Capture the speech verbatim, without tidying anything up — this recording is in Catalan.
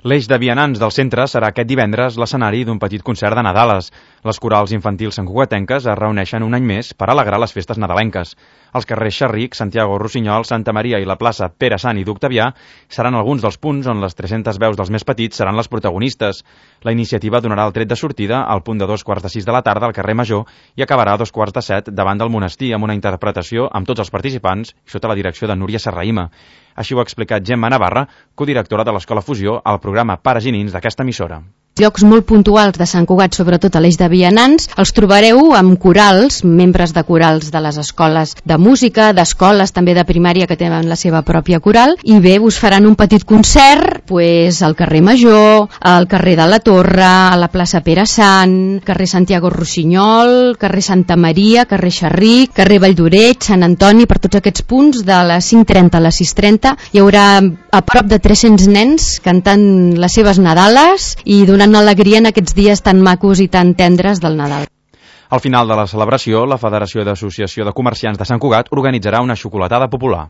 L'eix de vianants del centre serà aquest divendres l'escenari d'un petit concert de Nadales. Les corals infantils santcugatenques es reuneixen un any més per alegrar les festes nadalenques. Els carrers Xerric, Santiago Rossinyol, Santa Maria i la plaça Pere Sant i d'Octavià seran alguns dels punts on les tres-centes veus dels més petits seran les protagonistes. La iniciativa donarà el tret de sortida al punt de dos quarts de sis de la tarda al carrer Major i acabarà a dos quarts de set davant del monestir amb una interpretació amb tots els participants i sota la direcció de Núria Serraïma. Així ho ha explicat Gemma Navarra, codirectora de l'Escola Fusió, al programa Pares i Nins d'aquesta emissora. Llocs molt puntuals de Sant Cugat, sobretot a l'eix de vianants, els trobareu amb corals, membres de corals de les escoles de música, d'escoles també de primària que tenen la seva pròpia coral, i bé, us faran un petit concert pues, al carrer Major, al carrer de la Torre, a la plaça Pere Sant, carrer Santiago Rossinyol, carrer Santa Maria, carrer Xerric, carrer Valldoreix, Sant Antoni, per tots aquests punts de les cinc trenta a les sis trenta hi haurà a prop de tres-cents nens cantant les seves Nadales i donant alegria en aquests dies tan macos i tan tendres del Nadal. Al final de la celebració, la Federació d'Associació de Comerciants de Sant Cugat organitzarà una xocolatada popular.